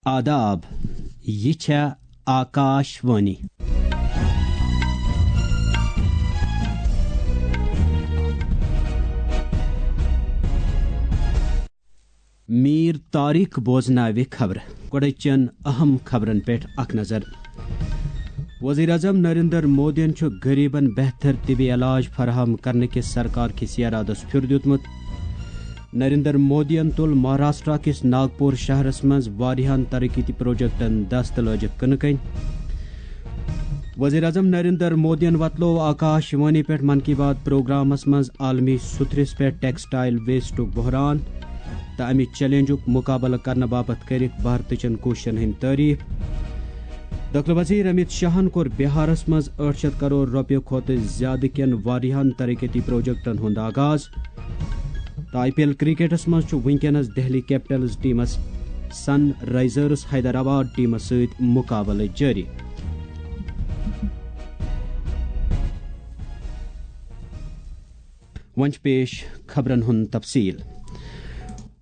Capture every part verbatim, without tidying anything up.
آداب، یہِ چھےٚ آکاش وانی۔ میٖر طارق بوزناوِ خبرٕ۔ گۄڈٕ چٮ۪ن اہم خبرن پٮ۪ٹھ اکھ نظر۔ وزیر اعظم نریندر مودیَن چھُ غریبن بہتر طبی علاج فراہم کرنہٕ کِس سرکار کِس ارادس پھیُر دیُتمُت۔ نریندر مودیَن تُل مہاراشٹرا کِس ناگپور شہرس منٛز واریاہن ترقیتی پروجیکٹن دست لٲجِکھ کٕنہٕ کٔنۍ۔ وزیر اعظم نریندر مودیَن وۄتلوو آکاش وانی پٮ۪ٹھ من کی بات پروگرامس منٛز عالمی سترس پٮ۪ٹھ ٹیکسٹائل ویسٹُک بحران تہٕ امہِ چیلنجُک مقابلہٕ کرنہٕ باپتھ کٔرِکھ بھارتٕچن کوٗششن ہٕنٛدۍ تعریف۔ دٲخلہٕ وزیر امیت شاہن کوٚر بہارس منٛز ٲٹھ شیٚتھ کرور رۄپیہِ کھۄتہٕ زیادٕ کٮ۪ن واریاہن ترقیتی پروجیکٹن ہُنٛد آغاز۔ تہٕ آئی پی ایل کرکٹس منٛز چھُ وٕنکیٚنس دہلی کیپٹلز ٹیمس سن رائزرز حیدرآباد ٹیمس سۭتۍ مقابلہٕ جٲری۔ وۄنۍ چھِ پیش خبرن ہُنٛد تفصیل۔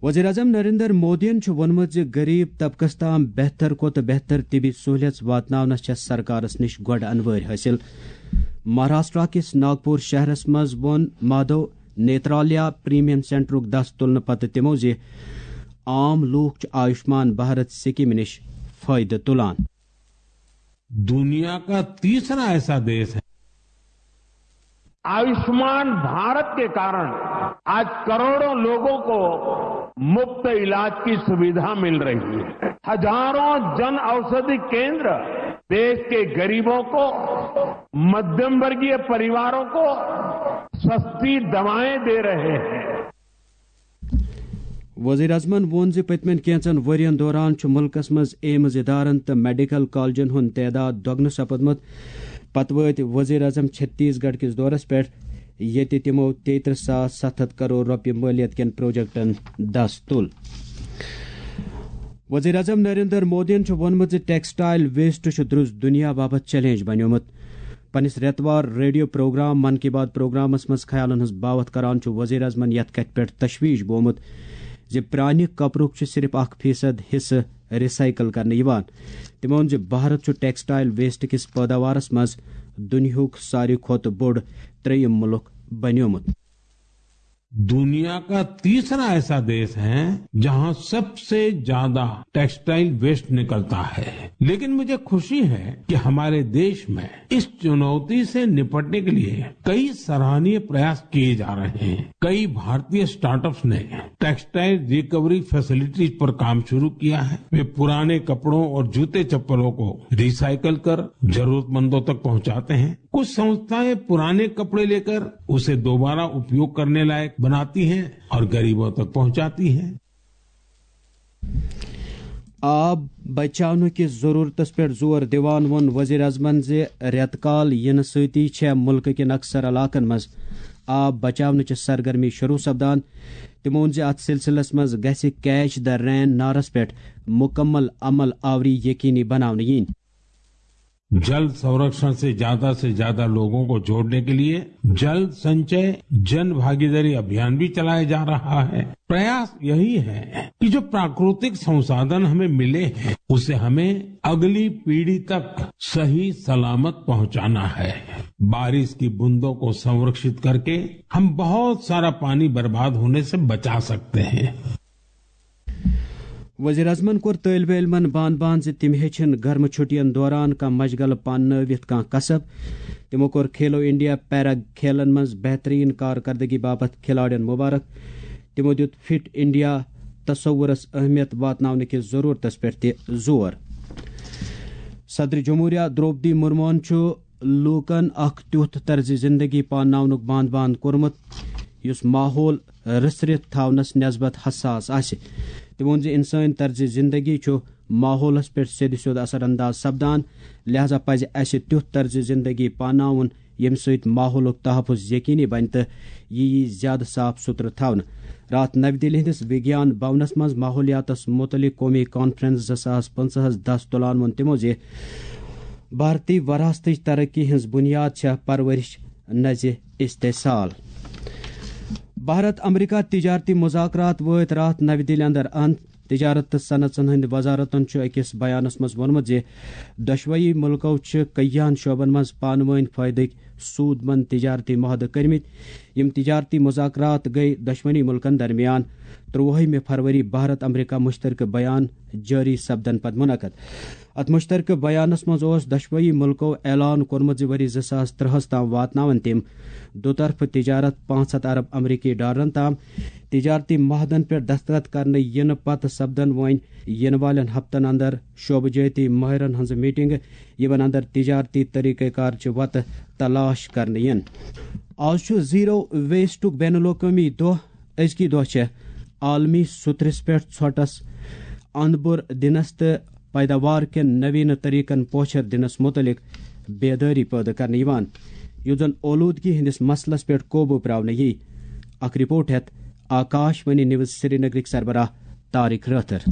وزیر اعظم نریندر مودیَن چھُ ووٚنمُت زِ غریب طبقس تام بہتر کھۄتہٕ بہتر طبی سہولیژ واتناونس چھےٚ سرکارس نِش گۄڈٕ انوٲرۍ حٲصِل۔ مہاراشٹرا کِس ناگپور شہرس منٛز ووٚن مادھو نیترالیا پریمیم سینٹرُک دس تُلنہٕ پتہٕ تِمو زِ عام لوٗکھ چھِ آیوشمان بھارت سکیمہِ نِش فٲیدٕ تُلان۔ दुनिया का तीसरा ऐसा देश है। आयुष्मान भारत के कारण आज करोड़ों लोगों को मुफ्त इलाज की सुविधा मिल रही है। हजारों जन औषधि केंद्र देश के गरीबों को, मध्यम वर्गीय परिवारों को सस्ती दवाएं दे रहे हैं। وزیر اعظمن ووٚن زِ پٔتمٮ۪ن کینٛژن ؤرین دوران چھُ مُلکس منٛز ایمز ادارن تہٕ میڈیکل کالجن ہُنٛد تعداد دۄگنہٕ سپدمُت۔ پتہٕ وٲتۍ وزیر اعظم چھتیس گڑھ کِس دورس پٮ۪ٹھ، ییٚتہِ تِمو تیترٕہ ساس ستھ ہتھ کرور رۄپیہِ مٲلیت کٮ۪ن پروجیکٹن دس تُل۔ وزیر اعظم نریندر مودیَن چھُ ووٚنمُت زِ ٹیکسٹائل ویسٹ چھُ درُس دُنیا باپتھ چیلنج بنیومُت۔ پننِس رٮ۪توار ریڈیو پروگرام من کی بات پروگرامس منٛز خیالن ہٕنٛز باوتھ کران چھُ وزیر اعظمن یتھ کتھِ پٮ۪ٹھ تشویش بومُت زِ پرانہِ کپرُک چھُ صرف اکھ فیصد حصہٕ ریسائیکل کرنہٕ یِوان۔ تٔمۍ ووٚن زِ بھارت چھُ ٹیکسٹائل ویسٹ کِس پٲداوارس منٛز دُنیاہُک ساروی کھۄتہٕ بوٚڑ ترٛیٚیِم مُلک بنیومُت۔ दुनिया का तीसरा ऐसा देश है जहां सबसे ज्यादा टेक्सटाइल वेस्ट निकलता है, लेकिन मुझे खुशी है कि हमारे देश में इस चुनौती से निपटने के लिए कई सराहनीय प्रयास किए जा रहे हैं। कई भारतीय स्टार्टअप्स ने टेक्सटाइल रिकवरी फैसिलिटीज पर काम शुरू किया है। वे पुराने कपड़ों और जूते चप्पलों को रिसाइकल कर जरूरतमंदों तक पहुंचाते हैं। कुछ संस्थाएं पुराने कपड़े लेकर उसे दोबारा उपयोग करने लायक बनाती हैं और गरीबों तक पहुंचाती हैं। آب بچاونہٕ کِس ضروٗرتس پٮ۪ٹھ زور دِوان ووٚن وزیر اعظمن زِ رٮ۪تہٕ کال یِنہٕ سۭتی چھےٚ مُلکہٕ کٮ۪ن اکثر علاقن منٛز آب بچاونٕچہِ سرگرمی شروٗع سپدان۔ تٔمۍ ووٚن زِ اتھ سلسلس منٛز گژھِ کیچ دی رین نعرس پٮ۪ٹھ مکمل عمل آوری یقینی بناونہٕ یِنۍ۔ जल संरक्षण से ज्यादा से ज्यादा लोगों को जोड़ने के लिए जल संचय जन भागीदारी अभियान भी चलाया जा रहा है। प्रयास यही है कि जो प्राकृतिक संसाधन हमें मिले हैं, उसे हमें अगली पीढ़ी तक सही सलामत पहुंचाना है। बारिश की बूंदों को संरक्षित करके हम बहुत सारा पानी बर्बाद होने से बचा सकते हैं। وزیر اعظمن کوٚر طٲلبہِ علمن بان بان زِ تِم ہیٚچھِن گرمہٕ چھُٹین دوران کانٛہہ مشغلہٕ پاننٲوِتھ کانٛہہ کسب۔ تِمو کوٚر کھیلو انڈیا پیرا کھیلن منٛز بہتریٖن کارکردگی باپتھ کھلاڑٮ۪ن مبارک۔ تِمو دیُت فٹ انڈیا تصورس اہمیت واتناونہٕ کِس ضروٗرتس پٮ۪ٹھ تہِ زور۔ صدر جمہوریہ درٛوپدی مرموہن چھُ لوٗکن اکھ تیُتھ طرزِ زندگی پانناونُک بانٛد بانٛد کوٚرمُت، یُس ماحول رٕژھرِتھ تھاونس نسبت حساس آسہِ۔ تٔمۍ ووٚن زِ انسٲنۍ طرزِ زندگی چھُ ماحولس پٮ۪ٹھ سیٚدِ سیوٚد اثر انداز سپدان، لہذا پزِ اسہِ تیُتھ طرزِ زندگی پانناوُن، ییٚمہِ سۭتۍ ماحولُک تحفظ یقینی بنہِ تہٕ یہِ یی زیادٕ صاف سُتھرٕ تھاونہٕ۔ راتھ نَوِ دِلہِ ہٕنٛدِس وِگیان بھونس منٛز ماحولیاتس مُتعلق قومی کانفرنس زٕ ساس پٕنٛژٕہس دس تُلان ووٚن تِمو زِ بھارتی وراثتٕچ ترقی ہٕنٛز بُنیاد چھےٚ پرورش نہ زِ استحصال۔ بھارت امریکہ تجارتی مذاکرات وٲتۍ راتھ نَوِ دِلہِ اندر اند۔ تجارت تہٕ صنعژن ہٕنٛدِ وزارتن چھُ أکِس بیانس منٛز ووٚنمُت زِ دۄشوٕے مُلکو چھِ کٔہیاہن شعبن منٛز پانہٕ وٲنۍ فٲیدٕکۍ سود مند تجارتی معاہدٕ کٔرمٕتۍ۔ یِم تجارتی مذاکرات گٔے دۄشوٕنی مُلکن درمیان ترٛۆوُہمہِ فروری بھارت امریکہ مشترکہٕ بیان جٲری سپدن پتہٕ منعقد۔ اتھ مشترکہٕ بیانس منٛز اوس دۄشوٕے مُلکو اعلان کوٚرمُت زِ ؤری زٕ ساس ترٛہس تام واتناون تِم دُطرفہٕ تجارت پانٛژھ ہتھ ارب امریکی ڈالرن تام۔ تجارتی معاہدن پٮ۪ٹھ دستخط کرنہٕ یِنہٕ پتہٕ سپدن وۄنۍ یِنہٕ والٮ۪ن ہفتن اندر شعبہٕ جٲتی ماہرن ہٕنٛز میٹنگہٕ، یِمن اندر تجارتی طریقہ کار چہِ وتہٕ تلاش کرنہٕ یِن۔ آز چھُ زیرو ویسٹُک بین الاقوٲمی دۄہ۔ أزکی دۄہ چھےٚ عالمی سُترِس پٮ۪ٹھ ژھۄٹس اندبُر دِنس تہٕ پیداوار کٮ۪ن نویٖنہٕ طریقن پوچھر دِنس مُتعلق بیدٲری پٲدٕ کرنہٕ یِوان، یُتھ زن اولوٗدگی ہٕنٛدِس مسلس پٮ۪ٹھ قوبوٗ پراونہٕ یِیہِ۔ اکھ رپورٹ ہٮ۪تھ آکاش وانی نیوز سرینگرٕکۍ سربراہ طارق رٲتھر۔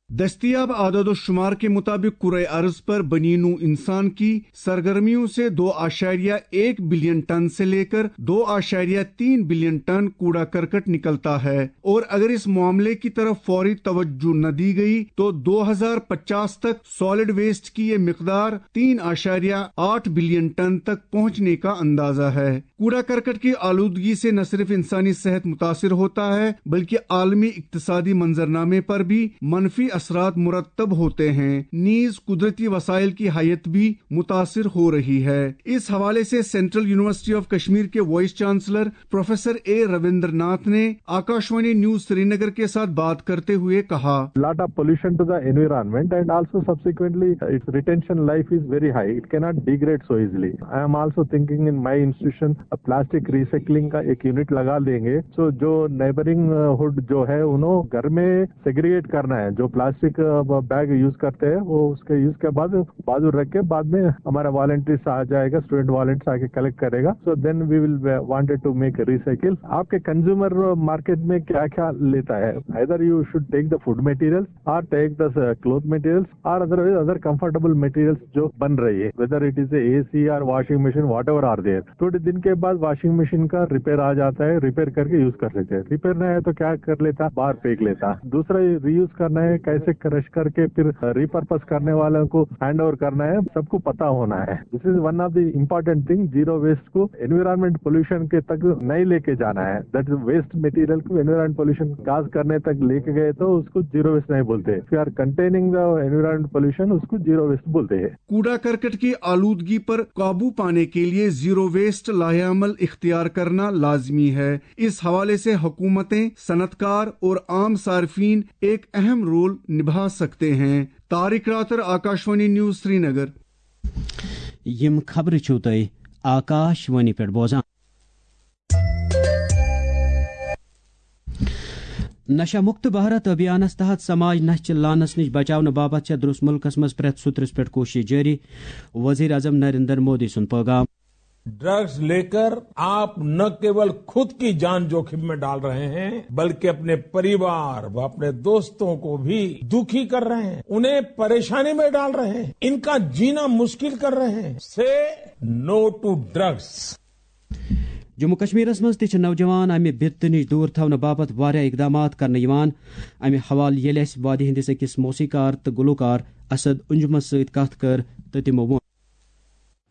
دستیاب اعداد و شمار کے مطابق، کرۂ ارض پر بنی نوع انسان کی سرگرمیوں سے دو اعشاریہ ایک بلین ٹن سے لے کر دو اعشاریہ تین بلین ٹن کوڑا کرکٹ نکلتا ہے، اور اگر اس معاملے کی طرف فوری توجہ نہ دی گئی تو دو ہزار پچاس تک سالڈ ویسٹ کی یہ مقدار تین اعشاریہ آٹھ بلین ٹن تک پہنچنے کا اندازہ ہے۔ کوڑا کرکٹ کی آلودگی سے نہ صرف انسانی صحت متاثر ہوتا ہے، بلکہ عالمی اقتصادی منظرنامے پر بھی منفی اثرات مرتب ہوتے ہیں، نیز قدرتی وسائل کی حیت بھی متاثر ہو رہی ہے۔ اس حوالے سے سینٹرل یونیورسٹی آف کشمیر کے vice chancellor professor A Ravinder Nath نے آکاشوانی نیوز سرینگر کے ساتھ بات کرتے ہوئے کہا۔ Lot of pollution to the environment, and also subsequently its retention life is very high. It cannot degrade so easily. I am also thinking in my institution a plastic recycling کا ایک unit لگا دیں گے، سو جو neighbouring ہڈ جو ہے انہوں گھر میں سیگریگیٹ کرنا ہے، جو پلاسٹک بیگ یوز کرتے ہیں وہ اس کے یوز کے بعد بازو رکھ کے بعد میں ہمارا والنٹیئرس آ جائے گا، اسٹوڈنٹ والنٹیئرس آ کے کلیکٹ کرے گا۔ So then we will wanted to make recycle. آپ کے کنزیومر مارکیٹ میں کیا کیا لیتا ہے؟ Either you should take the food materials or take the cloth materials or otherwise other comfortable materials جو بن رہی ہے، whether it is a AC or washing machine, whatever are there. تھوڑے دن کے بعد واشنگ مشین کا ریپیئر آ جاتا ہے، repair کرکے use کر لیتے ہیں۔ ریپیئر نہیں ہے تو کیا کر لیتا، باہر پھینک لیتا۔ دوسرا، ری یوز کرنا ہے، کیسے کرش کر کے پھر ریپرپز کرنے والوں کو ہینڈ اوور کرنا ہے، سب کو پتا ہونا ہے۔ This is one of the important thing. Zero waste کو انوائرمنٹ پولوشن کے تک نہیں لے کے جانا ہے۔ دیٹ ویسٹ مٹیریل کو انوائرمنٹ پولوشن کاز کرنے تک لے کے گئے تو اس کو زیرو ویسٹ نہیں بولتے۔ If you are containing the environment pollution, اس کو زیرو ویسٹ بولتے ہیں۔ کوڑا کرکٹ کی آلودگی پر قابو پانے کے لیے زیرو ویسٹ لائحہ عمل اختیار کرنا لازمی ہے۔ اس حوالے سے حکومتیں، صنعت کار اور عام صارفین ایک اہم رول نبھا سکتے ہیں۔ طارق راتر، آکاشوانی نیوز، سرینگر۔ یِم خبرٕ چھِو تُہۍ آکاشوانی پٮ۪ٹھ بوزان۔ نشہ مکت بھارت ابھیانس تحت سماج نشہ چہ لعنس نش بچاونہٕ باپتھ چھےٚ درس ملکس منٛز پرٛٮ۪تھ سُترس پٮ۪ٹھ کوٗشش جٲری۔ وزیر اعظم نریندر مودی سُنٛد پیغام۔ ड्रग्स लेकर आप न केवल खुद की जान जोखिम में डाल रहे हैं, बल्कि अपने परिवार व अपने दोस्तों को भी दुखी कर रहे हैं, उन्हें परेशानी में डाल रहे हैं, इनका जीना मुश्किल कर रहे हैं। से नो टू ड्रग्स। جموں کشمیرس منٛز تہِ چھِ نوجوان امہِ بِتہٕ نِش دوٗر تھاونہٕ باپتھ واریاہ اقدامات کرنہٕ یِوان۔ امہِ حوالہٕ ییٚلہِ اسہِ وادی ہٕنٛدِس أکِس موسیقار تہٕ گلوکار اسد انجمس سۭتۍ کتھ کٔر تہٕ تِمو ووٚن۔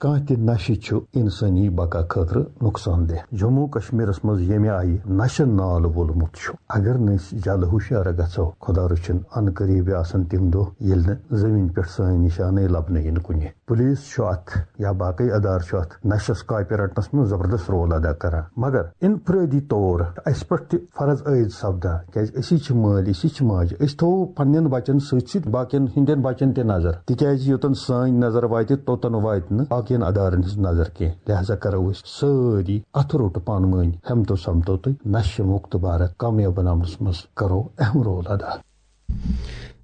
کانٛہہ تہِ نشہٕ چھُ انسٲنی بقا خٲطرٕ نۄقصان دہ۔ جموں کشمیرس منٛز ییٚمہِ آیہِ نشہٕ نال وولمُت چھُ، اگر نہٕ أسۍ جلد ہوشیار گژھو، خدا رٔچھِن، ان قریب آسن تِم دۄہ ییٚلہِ نہٕ زمین پٮ۪ٹھ سٲنۍ نشانٕے لبنہٕ یِن کُنہِ۔ پولیس چھُ اتھ یا باقٕے ادارٕ چھُ اتھ نشس کاپہِ رٹنس منٛز زبردست رول ادا کران، مگر انفرٲدی طور اسہِ پٮ۪ٹھ تہِ فرض عٲید سپدان، کیازِ أسی چھِ مٲلۍ، أسی چھِ ماجہِ، أسۍ تھاوو پننٮ۪ن بچن سۭتۍ سۭتۍ باقین ہٕنٛدٮ۪ن بچن تہِ نظر، تِکیازِ یوٚتن سٲنۍ نظر واتہِ، توٚتن واتہِ نہٕ باقین ادارن ہٕنٛز نظر کینٛہہ۔ لہذا کرو أسۍ سٲری اتھٕ روٚٹ پانہٕ وٲنۍ ہمت و سمتو تہٕ نشہٕ مُکت بھارت کامیاب بناونس منٛز کرو اہم رول ادا۔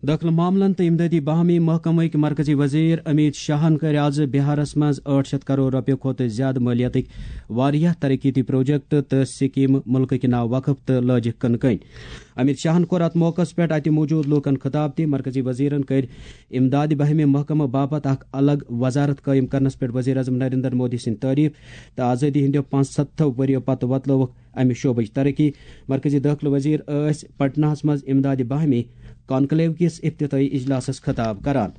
دٲخلہٕ معاملن تہٕ امدادی باہمی محکمٕکۍ مرکزی وزیر امیت شاہن کٔرۍ آز بہارس منٛز ٲٹھ شیٚتھ کرور رۄپیہِ کھۄتہٕ زیادٕ مٲلیتٕکۍ واریاہ ترقیتی پروجیکٹ تہٕ سکیمہٕ مُلکٕکۍ ناو وقف تہٕ لٲجِکھ کٕنہٕ کٕنۍ۔ امیت شاہن کوٚر اتھ موقعس پٮ۪ٹھ اتہِ موجود لوٗکن خطاب تہِ۔ مرکزی وزیرن کٔرۍ امدادی باہمی محکمہٕ باپتھ اکھ الگ وزارت قٲیِم کرنس پٮ۪ٹھ وزیر اعظم نریندر مودی سٕنٛدۍ تعریف تہٕ آزٲدی ہٕنٛدیو پانٛژستھو ؤرۍیو پتہٕ وۄتلٲوٕکھ امہِ شعبٕچ ترقی۔ مرکزی دٲخلہٕ وزیر ٲسۍ پٹنہس منٛز امدادِ باہمی کانکلیو کِس افتتاحی اجلاسس خطاب کران۔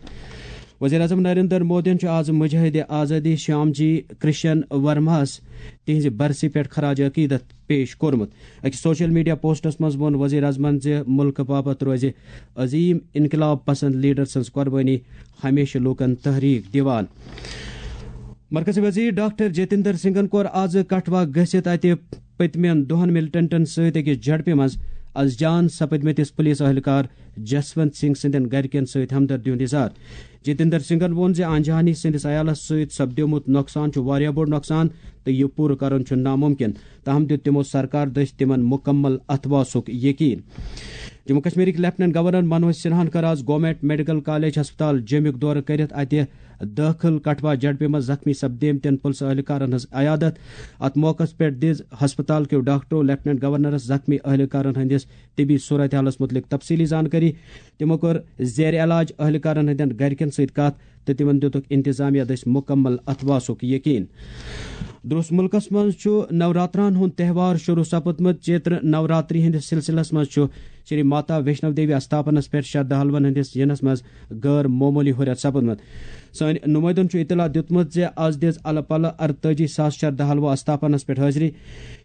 وزیر اعظم نریندر مودیَن چھُ آز مجاہد آزادی شیام جی کرشن ورماہَس تِہنزِ برسی پٮ۪ٹھ خراج عقیدت پیش کوٚرمُت۔ أکِس سوشل میڈیا پوسٹس منٛز ووٚن وزیر اعظمن زِ مُلکہٕ باپتھ روزِ عظیم انقلاب پسند لیڈر سٕنز قربٲنی ہمیشہٕ لوٗکن تحریک دِوان۔ مرکزی وزیر ڈاکٹر جتیندر سنگھن کوٚر آز کٹھوا گٔژھِتھ اتہِ پٔتمٮ۪ن دۄہن ملیٹنٹن سۭتۍ أکِس جھڑپہِ منٛز از جان سپٕدمٕتِس پُلیٖس اہلکار جسونت سنگھ سٕنٛدٮ۪ن گرِکٮ۪ن سۭتۍ ہمدردی ہُنٛد اظہار۔ جتیندر سنگھن ووٚن زِ آنجہانی سٕنٛدِس عیالس سۭتۍ سپدیومُت نۄقصان چھُ واریاہ بوٚڑ نۄقصان تہٕ یہِ پوٗرٕ کرُن چھُ ناممکن، تاہم دیُت تِمو سرکار دٔسۍ تِمن مُکمل اتھواسُک یقین۔ جموں کشمیرٕکۍ لیفٹیننٹ گورنر منوج سنہاہن کٔر آز گورنمنٹ میڈیکل کالج ہسپتال جیٚمیُک دورٕ کٔرِتھ اتہِ دٲخل کٹھوا جھڑپہِ منٛز زخمی سپدیمتٮ۪ن پُلسہٕ اہلکارن ہٕنٛز عیادت۔ اتھ موقعس پٮ۪ٹھ دِژ ہسپتال کیو ڈاکٹرو لیفٹیننٹ گورنرس زخمی اہلکارن ہٕنٛدِس طبی صورتحالس مُتعلق تفصیٖلی زانکٲری۔ تِمو کٔر زیر علاج اہلکارن ہٕنٛدٮ۪ن گرِکٮ۪ن سۭتۍ کتھ تہٕ تِمن دِتُکھ انتظامیہ دٔسۍ مُکمل اتھواسُک یقین۔ درٛوس مُلکس منٛز چھُ نوراتران ہُنٛد تہوار شروع سپُدمُت۔ چیتر نوراتری ہٕنٛدِس سلسلس منٛز چھُ شری ماتا ویشنو دیوی استھاپنس پٮ۪ٹھ شردھالوَن ہٕنٛدِس یِنس منٛز غٲر معموٗلی ہُرٮ۪ر سپُدمُت۔ سٲنۍ نُمٲیدن چھُ اطلاع دیُتمُت زِ از دِژ الہٕ پلہٕ ارتٲجی ساس شردھالوو استھاپنس پٮ۪ٹھ حٲضری۔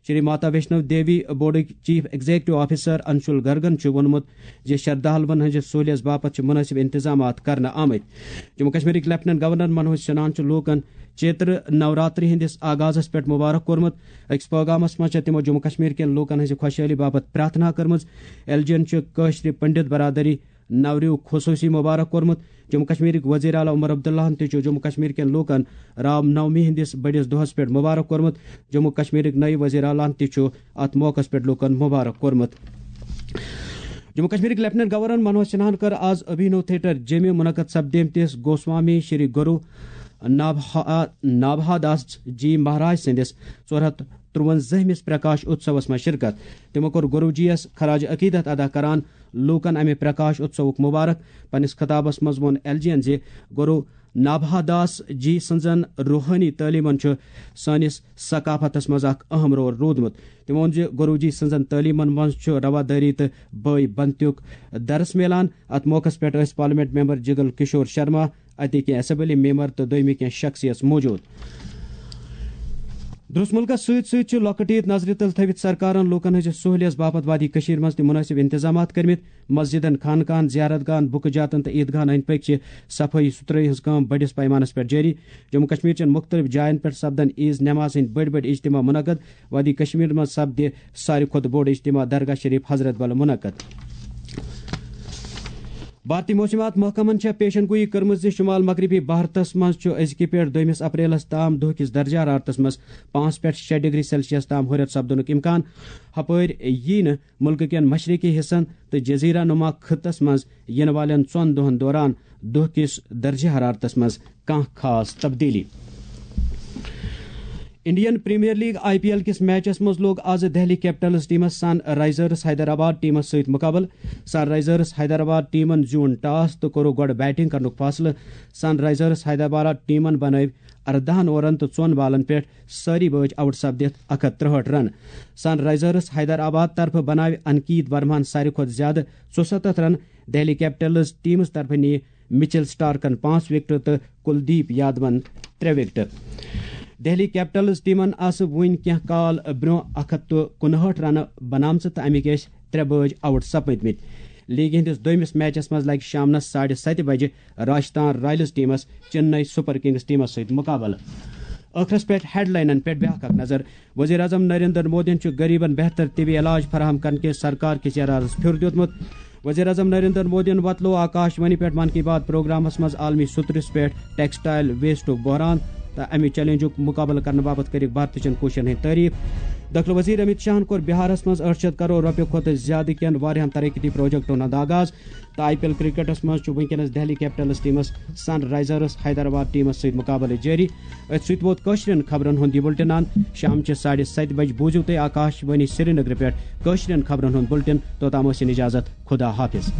شری ماتا ویشنو دیوی بورڈٕکۍ چیف ایگزیکٹو آفیسر انشول گرگن چھُ ووٚنمُت زِ شردھالوَن ہٕنٛزِ سہوٗلیژ باپتھ چھِ مُنٲسِب انتظامات کرنہٕ آمٕتۍ۔ جموں کشمیرٕکۍ لیفٹیننٹ گورنر منوج سنہاہن چھُ لوٗکن چیتر نوراتری ہٕنٛدِس آغازس پٮ۪ٹھ مبارک کوٚرمُت۔ أکِس پٲغامس منٛز چھےٚ تِمو جموں کشمیر کٮ۪ن لوٗکن ہٕنٛزِ خۄشحٲلی باپتھ پرارتھنا کٔرمٕژ۔ ایل جی ین چھُ کٲشرِ پنڈت برادری نوریُک خصوٗصی مبارک کوٚرمُت۔ جموں کشمیرٕکۍ وزیر اعلیٰ عمر عبداللہن تہِ چھُ جموں کشمیر کٮ۪ن لوٗکن رام نومی ہٕنٛدِس بٔڑِس دۄہس پٮ۪ٹھ مبارک کوٚرمُت۔ جموں کشمیرٕکۍ نٔوۍ وزیر اعلیٰ ہن تہِ چھُ اتھ موقعس پٮ۪ٹھ لوٗکن مبارک کوٚرمُت۔ جموں کشمیرٕکۍ لیفٹیننٹ گورنر منوج سنہاہن کٔر آز ابھینو تھیٹر جیٚمہِ منعقد سپدیمتِس گوسوامی شری گرو نابہا-، نابہا داس جی مہاراج سٕنٛدِس ژور ہتھ ترٛوَنزٲہمِس پرکاش اتسوس منٛز شرکت۔ تِمو کوٚر گروجی یس خراج عقیدت ادا کران لوٗکن امہِ پرکاش اتسوُک مبارک۔ پننِس خطابس منٛز ووٚن ایل جی ین زِ گرو نابہا داس جی سٕنٛزن روحٲنی تعلیمن چھُ سٲنِس ثقافتس منٛز اکھ اہم رول روٗدمُت۔ تٔمۍ ووٚن زِ گروجی سٕنٛزن تعلیمن منٛز چھُ روادٲری تہٕ بٲے بنتیُک درس میلان۔ اتھ موقعس پٮ۪ٹھ ٲسۍ پارلیمنٹ ممبر جگل کشور شرما، اتہِ کینٛہہ اسمبلی ممبر تہٕ دوٚیمہِ کینٛہہ شخصیژ موجود۔ درٛوس مُلکس سۭتۍ سۭتۍ چھُ لۄکٕٹ عید نظرِ تل تھٲوِتھ سرکارن لوٗکن ہٕنٛزِ سہوٗلیژ باپتھ وادی کٔشیٖر منٛز تہِ مُنٲسِب انتظامات کٔرمٕتۍ۔ مسجدن، خانقاہن، زیارت گاہن، بُکہٕ جاتن تہٕ عید گاہن أنٛدۍ پٔکۍ چھِ صفٲیی سُتھرٲیی ہٕنٛز کٲم بٔڑِس پیمانس پٮ۪ٹھ جٲری۔ جموں کشمیر چٮ۪ن مُختٔلِف جاین پٮ۪ٹھ سپدن عیٖذ نماز ہٕنٛدۍ بٔڑۍ بٔڑۍ اجتماع منعقد۔ وادی کشمیر منٛز سپدِ ساروی کھۄتہٕ بوٚڑ اجتماع درگاہ شریف حضرت بل منعقد۔ بھارتی موسمیات محکمن چھےٚ پیشن گویی کٔرمٕژ زِ شمال مغربی بھارتس منٛز چھُ أزکہِ پٮ۪ٹھ دوٚیمِس اپریلس تام دۄہ کِس درجہ حرارتس منٛز پانٛژھ پٮ۪ٹھ شےٚ ڈگری سیلسیس تام ہُرٮ۪ر سپدنُک امکان۔ ہپٲرۍ یی نہٕ مُلکہٕ کٮ۪ن مشرقی حصن تہٕ جزیرہ نما خطس منٛز یِنہٕ والٮ۪ن ژۄن دۄہن دوران دۄہ کِس درجہ حرارتس منٛز کانٛہہ خاص تبدیلی۔ Indian Premier League, I P L, کِس میچس منٛز لوٚگ آز دہلی کیپٹلز ٹیمس سن رائزرز حیدرآباد ٹیمس سۭتۍ مقابلہٕ۔ سن رائزرز حیدرآباد ٹیمن زیوٗن ٹاس تہٕ کوٚرُکھ گۄڈٕ بیٹنگ کرنُک فٲصلہٕ۔ سن رائزرز حیدرآباد ٹیمن بنٲوۍ ارداہن اوورن تہٕ ژۄن بالن پٮ۪ٹھ سٲری بٲژ آؤٹ سپدِتھ اکھ ہتھ ترٛہٲٹھ رن۔ سن رائزرز حیدرآباد طرفہٕ بناوِ انکیت ورماہن ساروی کھۄتہٕ زیادٕ ژُستتھ رن۔ دہلی کیپٹلز ٹیمس طرفہٕ نِیہِ مچل سٹارکن پانٛژھ وکٹہٕ تہٕ کلدیپ یادون ترٛےٚ وکٹہٕ۔ دہلی کیپٹلز ٹیمن آسہٕ وُنہِ کینٛہہ کال برٛونٛہہ اکھ ہتھ تہٕ کُنہٲٹھ رنہٕ بنامژٕ تہٕ امِکۍ ٲسۍ ترٛےٚ بٲژ آؤٹ سپٕدمٕتۍ۔ لیگہِ ہٕنٛدِس دوٚیمِس میچس منٛز لگہِ شامنس ساڑِ ستہِ بجہِ راجستھان رائلز ٹیمس چنئی سپر کنگز ٹیمس سۭتۍ مقابلہٕ۔ ٲخرس پٮ۪ٹھ ہیڈلاینن پٮ۪ٹھ بیاکھ اکھ نظر۔ وزیر اعظم نریندر مودیَن چھُ غریبن بہتر طبی علاج فراہم کرنہٕ کِس سرکار کِس ارادس پھیُر دیُتمُت۔ وزیر اعظم نریندر مودیَن وۄتلوو آکاش وانی پٮ۪ٹھ من کی بات پروگرامس منٛز عالمی سترس پٮ۪ٹھ ٹیکسٹائل ویسٹُک بحران تہٕ امہِ چیلنجُک مقابلہٕ کرنہٕ باپتھ کٔرٕکھ بھارتٕچن کوٗششن ہٕنٛدۍ تعریف۔ دٲخلہٕ وزیر امت شاہن کوٚر بہارس منٛز ٲٹھ شیٚتھ کرور رۄپیہِ کھۄتہٕ زیادٕ کٮ۪ن واریاہن ترقیتی پروجیکٹن ہُنٛد آغاز۔ تہٕ آئی پی ایل کرکٹس منٛز چھُ وٕنکیٚنس دہلی کیپٹلز ٹیمس سن رائزرز حیدرآباد ٹیمس سۭتۍ مقابلہٕ جٲری۔ أتھۍ سۭتۍ ووت کٲشرٮ۪ن خبرن ہُنٛد یہِ بُلٹن اند۔ شام چہِ ساڑِ ستہِ بجہِ بوٗزِو تُہۍ آکاش وانی سرینگرٕ پٮ۪ٹھ کٲشرٮ۪ن خبرن ہُنٛد بُلٹن۔ توٚتام ٲسِن اجازت، خدا حافظ۔